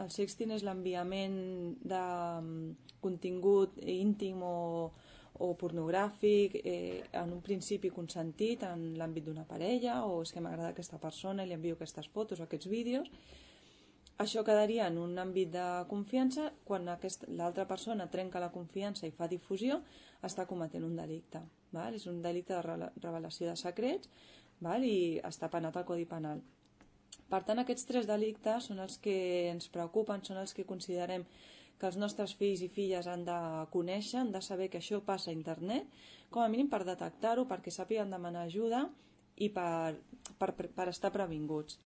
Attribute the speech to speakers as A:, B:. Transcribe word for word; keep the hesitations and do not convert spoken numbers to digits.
A: El sexting és l'enviament de contingut íntim o, o pornogràfic eh, en un principi consentit en l'àmbit d'una parella, o és que m'agrada aquesta persona i li envio aquestes fotos o aquests vídeos. Això quedaria en un àmbit de confiança. Quan l'altra persona trenca la confiança i fa difusió, està cometent un delicte. Val? És un delicte de revelació de secrets, val? I està penat al Codi Penal. Per tant, aquests tres delictes són els que ens preocupen, són els que considerem que els nostres fills i filles han de conèixer, han de saber que això passa a internet, com a mínim per detectar-ho, perquè sàpiguen demanar ajuda i per, per, per estar previnguts.